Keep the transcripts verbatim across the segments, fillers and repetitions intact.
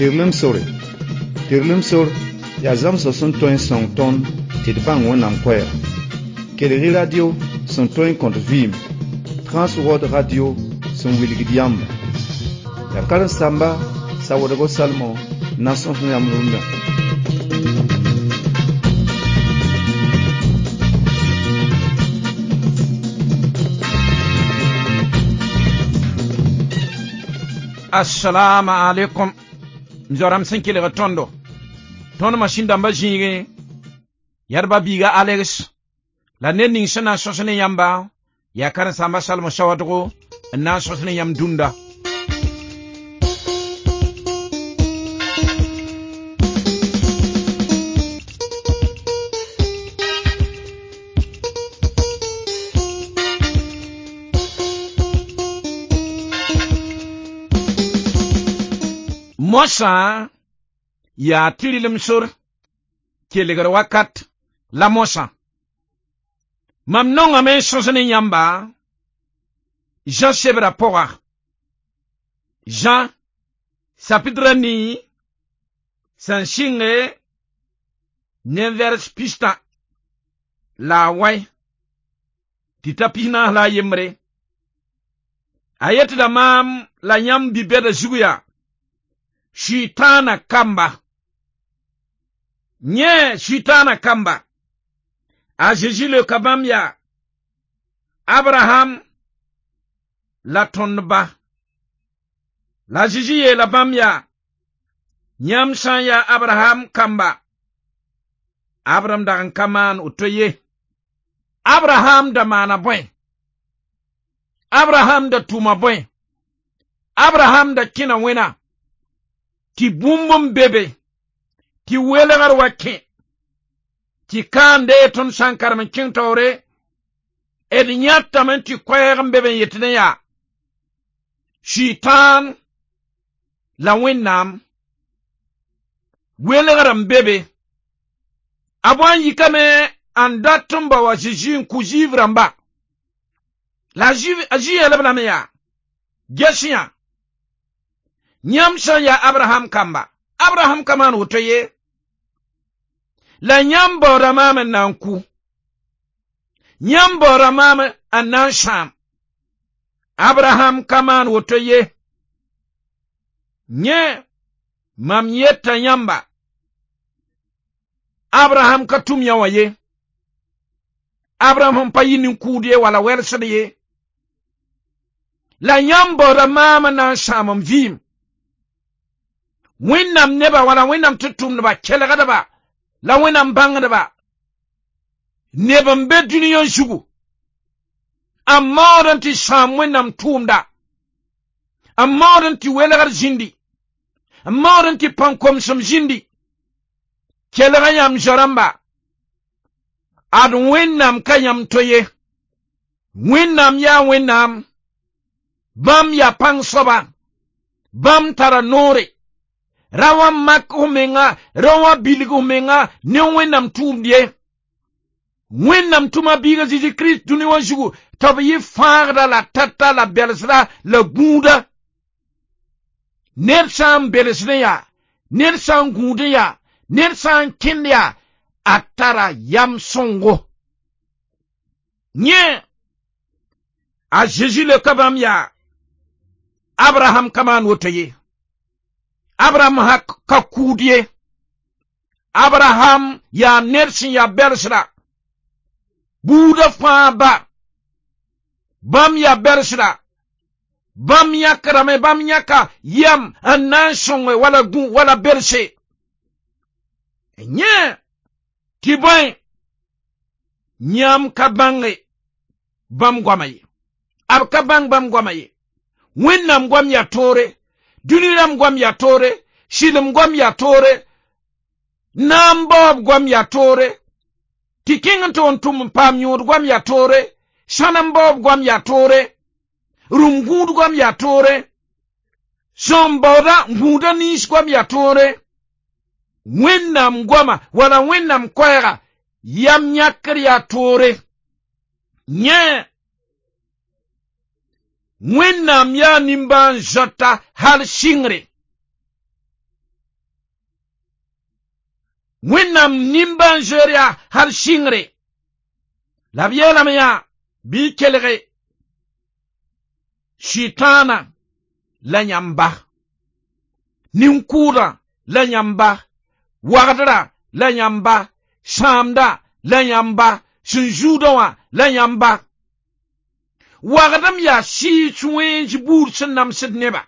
Tɩrlem sore. Tɩrlem sor yaa zãmsg sẽn tõe n sõng tõnd tɩ d bãng Wẽnnaam koɛɛga. Kelg-y radio sẽn tõe n kõt vɩɩm, Transworld Radio sẽn wilgd yãmba. Yaa karen-saamba Sawoodgo Salmo n na n sõs yãmb rũndã. Assalamu alaikum. M zoa-rãmb sẽn kelg tõndo. Tõnd masĩn dãmbã zĩigẽ, yadba biiga Alex la ned ning sẽn na n sõs ne yãmba yaa karen-saamba Salmo Sawadgo n na n sõs ne yãmb dũnda. Moasã yaa tɩrlem sor kelgr wakat la moasã. Mam nongame n sõs ne yãmba Jean sebra pʋga. Jean chapitre nii sẽn sɩnge ne vers pistã la a wãe tɩ ta pis naas la a yembre. A yetda maam la yãmb bi-bɛda zug yaa Sʋɩtãana kamba. Yẽ Sʋɩtãana kamba. A Zezi leoka bãmb yaa Abraham la tõnd ba. La Zezi yeela bãmb yaa yãmb sã n yaa Abraham kamba, Abraham dag n ka maan woto ye. Abraham da maana bõe? Abraham da tʋma bõe? Abraham da kẽna wẽna tɩ bũmb n be be, tɩ welgr wa kẽ, tɩ kãande tõnd sã n karem n kẽng taoore, d yãtame tɩ koɛɛg n be be n yetd n yaa Sʋɩtãan la Wẽnnaam welgr n be be. A bõe n yikame n dat n bao a Zezi n kʋ Zuif rãmba. La a Zezi yeelb lame yaa ges yã yãmb sã n yaa Abraham kamba, Abraham ka maan woto ye. La yãmb baooda maam n na n kʋ, yãmb baooda maam n na n sãam. Abraham ka maan woto ye. Yẽ mam yeta yãmba, Abraham ka tʋm yã wã ye. Abraham sẽn pa yɩ nin-kʋʋd ye wala wɛlsd ye. La yãmb baooda maam n na n sãam m vɩɩm. Wẽnnaam neba wala Wẽnnaam tɩ tʋmdba kelgdba la Wẽnnaam bãngdba neb n be dũniyã zugu n maood n tɩ sãam Wẽnnaam tʋʋmda, n maood n tɩ welgr zĩndi, n maood n tɩ pãn-komsem zĩndi. Kelg yãmb zoa-rãmba, ad Wẽnnaam ka yãmb to ye. Wẽnnaam yaa Wẽnnaam, bãmb yaa pãng soaba, bãmb tara noore. Ra wã mak f menga, ra wã bilg f menga ne Wẽnnaam tʋʋmd ye. Wẽnnaam tʋma biiga Zezi Kirist dũni wã zugu tɩ b yɩ fãagda la tata la belsda la gũuda. Ned sã n belsdẽ yaa, ned sã n gũudẽ yaa, ned sã n kẽnd yaa, a tara yam sõngo. Yẽ a Zezi leoka bãmb yaa Abraham ka maan woto ye. Abraham ha ka kʋʋd ye. Abraham yaa ned sẽn yaa belsda. Buudã fãa ba, bãmb yaa belsda. Bãmb yãkdame, bãmb yãka yam n na n sõnge wala gũ wala belse. Yẽ tɩ bõe yãmb ka bãnge bãmb goama ye. B ka bãng bãmb goama ye. Wẽnnaam goam yaa toore, dũni rãmb goam yaa toore, sɩlem goam yaa toore, naam baoob goam yaa toore, tɩ kẽng n tog n tʋm n paam yõod goam yaa toore, sãnem baoob goam yaa toore, rũm gũud goam yaa toore, sõm baooda gũuda nins goam yaa toore. Wẽnnaam goama wala Wẽnnaam koɛɛga yam yãkr yaa toore. Yẽ Wẽnnaam yaa nimbãan-zoata hal sɩngre. Wẽnnaam nimbãan-zoeer yaa hal sɩngre la b yeelame yaa bɩ y kelge sɩtãana la yãmba nin-kʋʋdã la yãmba wagdrã la yãmba sãamda la yãmba sẽn zuudã wã la yãmba wagdem yaa sɩɩs wẽns buud sẽn namsd neba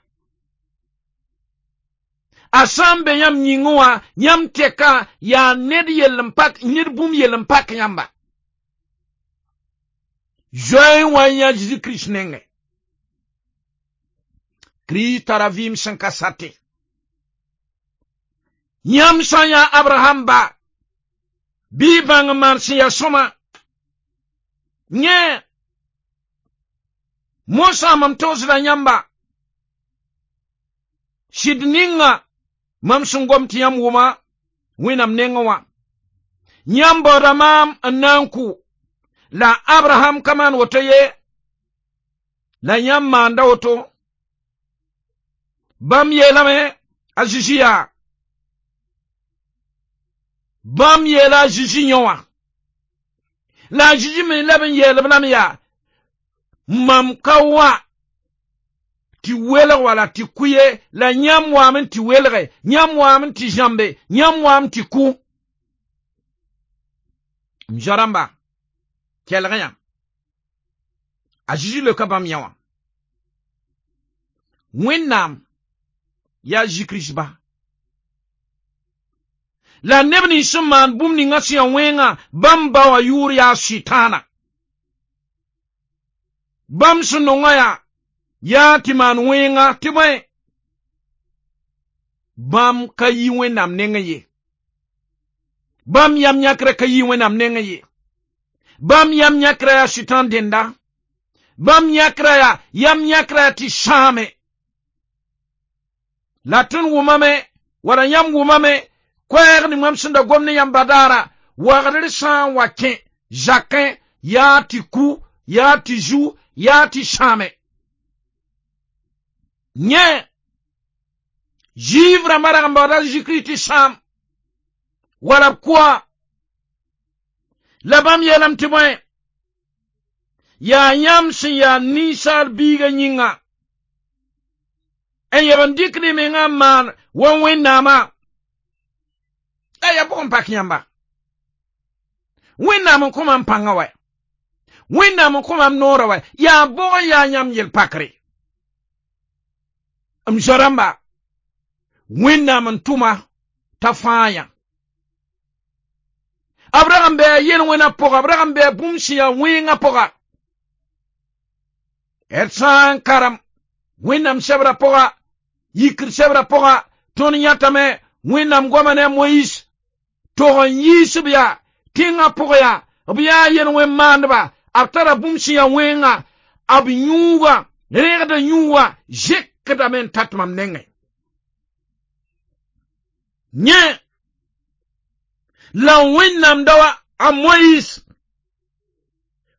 a sã n be yãmb yĩngẽ wã yãmb tɛka yaa ned yell n pak ned bũmb yell n pak yãmba zoe n wa n yã Zeezi Kirist nengẽ Kirist tara vɩɩm sẽn ka sate yãmb sã n yaa Abraham ba bɩ y bãng n maan sẽn yaa sõma yẽ mosã mam togsda yãmba sɩd ninga mam sẽn gom tɩ yãmb wʋma Wẽnnaam nengẽ wã yãmb baooda maam n na n kʋ la Abraham ka maan woto ye la yãmb maanda woto bãmb yeelame a Zeezi yaa bãmb yeela a Zeezi yõ wã la a Zeezi me leb n yeel-b lame yaa mam ka wa tɩ welg wala tɩ kʋ ye la yãmb waame tɩ welge yãmb waame tɩ zãmbe yãmb waame tɩ kʋ m zoa-rãmba kelg yã a Zeezi leoka bãmb yã wã Wẽnnaam yaa Zeezi Kirist ba la neb nins sẽn maan bũmb ninga sẽn yaa wẽnga bãmb ba wã yʋʋr yaa sɩtãana bãmb sẽn nongã yaa yaa tɩ maan wẽnga tɩ bõe bãmb ka yi Wẽnnaam nengẽ ye bãmb yam yãkrã ka yi Wẽnnaam nengẽ ye bãmb yam yãkrã yaa sɩtãan dẽnda bãmb yãkrã yaa yam yãkrã yaa tɩ sãame la tõnd wʋmame wala yãmb wʋmame koɛɛg ning mam sẽn da gom ne yãmb badaara wagdr sã n wa kẽ zakẽ yaa tɩ ku yaa tɩ zu yaa tɩ sãame yẽ Zuif rãmbã rag n baooda Zeezi Kirist tɩ sãam wala b kʋa la bãmb yeelame tɩ bõe yaa yãmb sẽn yaa ninsaal biigã yĩnga n yeb n dɩkd y mengã n maan wa Wẽnnaamã la yaa bʋg n pak yãmba Wẽnnaam n kõ mam pãngã wɛ Wẽnnaam n kõ mam noorã wɛ yaa bʋg n yaa yãmb yel-pakre m zoa-rãmba Wẽnnaam n tʋma t'a fãa yã b rag n bɩ yel-wẽnã pʋga b rag n bɩ bũmb sẽn yaa wẽngã pʋga d sã n karem Wẽnnaam sebrã pʋga yikr sebrã pʋga tõnd yãtame Wẽnnaam goama ne a Moyiis tog n yiis b yaa tẽngã pʋg yaa b yaa yel-wẽn maandba b tara bũmb sẽn yaa wẽnga b yũuga rẽgda yũuga zekdame n tat mam nengẽ yẽ la Wẽnnaam daoa a Moyiis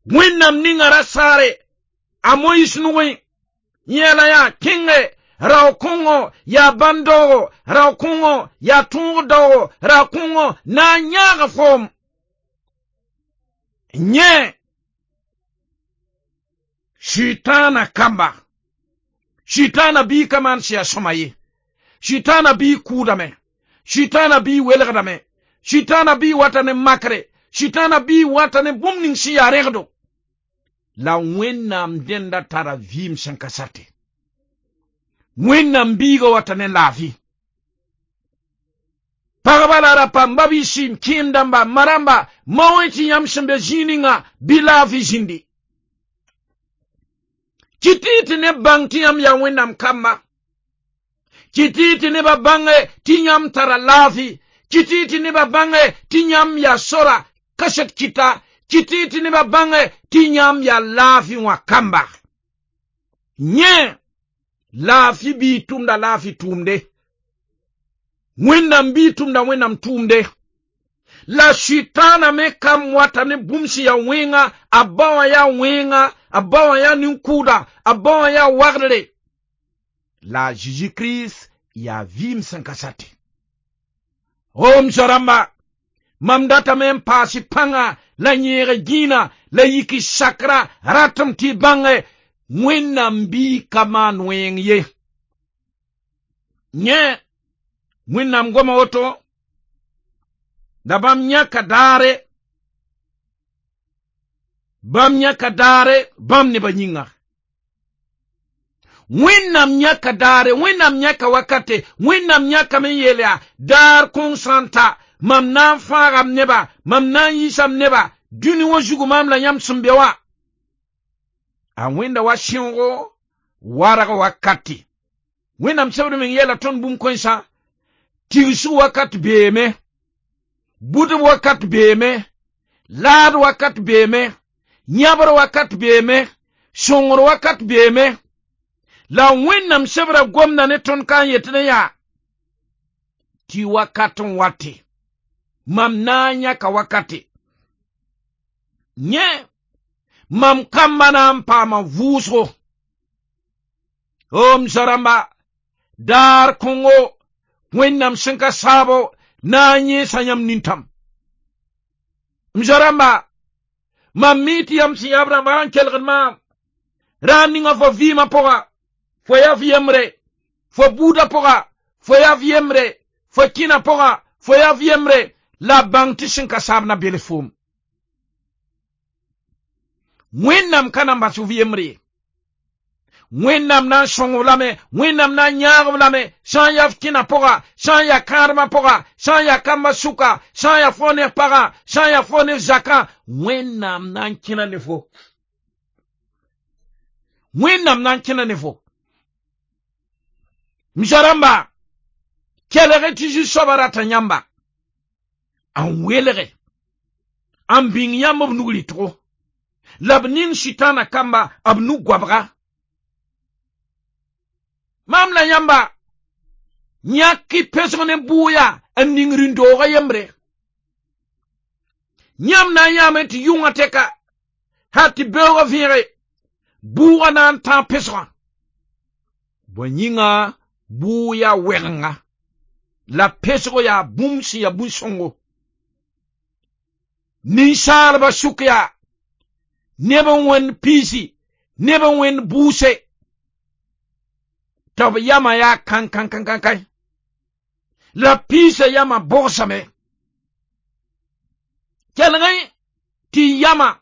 Wẽnnaam ninga ra saare a Moyiis nugẽ yẽla yaa kẽnge rao-kõngo yaa bãn-daoogo rao-kõngo yaa tõog-daoogo rao-kõngo na n yãag foom yẽ sʋɩtãana kamba sʋɩtãana bii ka maan sẽn yaa sõma ye sʋɩtãana bii kʋʋdame sʋɩtãana bii welgdame sʋɩtãana bii wata ne makre sʋɩtãana bii wata ne bũmb ning sẽn yaa rẽgdo la Wẽnnaam dẽnda tara vɩɩm sẽn ka sate Wẽnnaam biigã wata ne laafɩ pagba la rapa m ba-biisi m kẽem dãmba ma rãmba mao tɩ yãmb sẽn be zĩig ninga bɩ laafɩ zĩndi kɩt-y tɩ neb bãng tɩ yãmb yaa Wẽnnaam kamba kɩt-y tɩ nebã bãnge tɩ yãmb tara laafɩ kɩt-y tɩ nebã bãnge tɩ yãmb yaa sora kaset kɩta kɩt-y tɩ nebã bãnge tɩ yãmb yaa laafɩ wã kamba yẽ laafɩ bii tʋmda laafɩ tʋʋmde Wẽnnaam bii tʋmda Wẽnnaam tʋʋmde la sʋɩtãana me kam wata ne bũmb sẽn yaa wẽnga a ba wã yaa wẽnga a ba wã yaa nin-kʋʋda a ba wã yaa wagdre la Zeezi Kirist yaa vɩɩm sẽn ka sate o m zoa-rãmba Mam datame n paas y pãnga la yẽeg gĩinã la yik y sakra ratem tɩ y bãnge Wẽnnaam biig ka maan wẽng ye. Yẽ Wẽnnaam goma woto la bãmb yãka daare bãmb yãka daare bãmb nebã yĩnga. Wẽnnaam yãka daare Wẽnnaam yãka wakate Wẽnnaam yãkame n yeel yaa daar kõng sã n ta mam na n fãaga m neba mam na n yiisa m neba dũni wã zugu maam la yãmb sẽn be wã. A wẽnda wa sẽoogo warg wakati. Wẽnnaam sebd meng yeela tõnd bũmb kãensã tigsg wakat beeme bʋdb wakat beeme laad wakat beeme yãbr wakat beeme sõngr wakat beeme la Wẽnnaam sebra gomda ne tõnd ka n yet ne yaa tɩ wakat n wate mam na n yãka wakate yẽ mam kamba na n paama vʋʋsgo o m zoa-rãmba daar kõngo Wẽnnaam sẽn ka saabo na n yẽesa yãmb nintãm. M zoa-rãmba mam mi tɩ yãmb sẽn yaa b rãmba n kelgd maam raar ninga fo vɩɩmã pʋga fo yaa f yembre fo buudã pʋga fo yaa f yembre fo kĩnã pʋga fo yaa f yembre la bãng tɩ sẽn ka saab na bels foom. Wẽnnaam ka na n bas f yembre ye. Wẽnnaam na n sõng-b lame Wẽnnaam na n yãag-b lame sã n yaa f kĩnã pʋga sã n yaa kãadmã pʋga sã n yaa kambã sʋka sã n yaa fo ne f pagã sã n yaa fo ne f zakã Wẽnnaam na n kẽna ne fo. Wẽnnaam na n kẽna ne fo. M zoa-rãmba kelg tɩ Zu-soabã rata yãmba n welge n bĩng yãmb b nug rɩtgo la b ning sɩtãana kamba b nug goabga. Maam la yãmba yãk y pesg ne bʋʋya n ning rĩn-doogã yembre. Yãmb na n yãame tɩ yʋngã tɛka hal tɩ beoogã vẽege bʋʋgã na n tãag pesgã. Bõe yĩnga bʋʋg yaa wɛgenga la pesgo yaa bũmb sẽn yaa bũn-sõngo. Ninsaalbã sʋk yaa neb n wẽnd piisi neb n wẽnd bʋʋse tɩ b yamã yaa kãn-kãn-kãn-kãn la piisã yamã bogsame. Kelgẽ tɩ yamã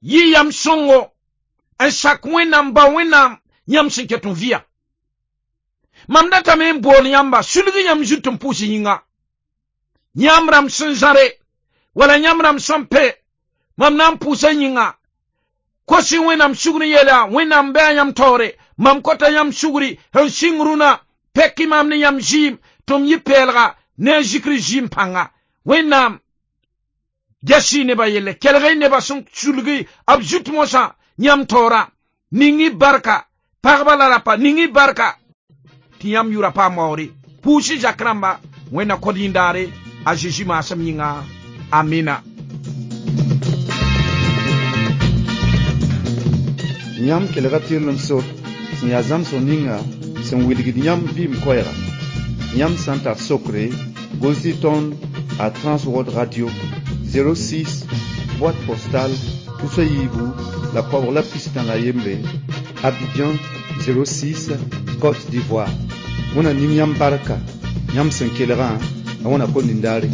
yɩ yam sõngo n sak Wẽnnaam ba Wẽnnaam yãmb sẽn ket n vɩya. Mam datame n bool yãmba sulg yãmb zut n pʋʋs yĩnga. Yãmb rãmb sẽn zãre wala yãmb rãmb sẽn pɛ mam na n pʋʋsa yĩnga kosi Wẽnnaam sugr n yeela Wẽnnaam bɩ a yãmb taoore mam kota yãmb sugri n sɩng rũnã pɛk maam ne yãmb zɩɩm tɩ m yɩ pɛɛlga ne a zikr zɩɩm pãnga. Wẽnnaam ges-y nebã yelle kelg-y nebã sẽn sulgi b zut mosã yãmb taoorã ning y barka pagba la rapa ning y barka tɩ yãmb yʋra paam waoore pʋʋs-y zak rãmba Wẽnna kod yĩndaare a Zeezi maasem yĩnga amina. Yãmb kelga tɩrlem sor sẽn yaa zãmsg ninga sẽn wilgd yãmb vɩɩm koɛɛga. Yãmb sã n tar sokre gʋls-y tõnd a Transworld Radio zéro six boîte postale tusa yiibu la koabg la pistã la yembre Abidjan zéro six Côte d'Ivoire. Wẽna ning yãmb barka yãmb sẽn kelgã la wẽna kõn nindaare.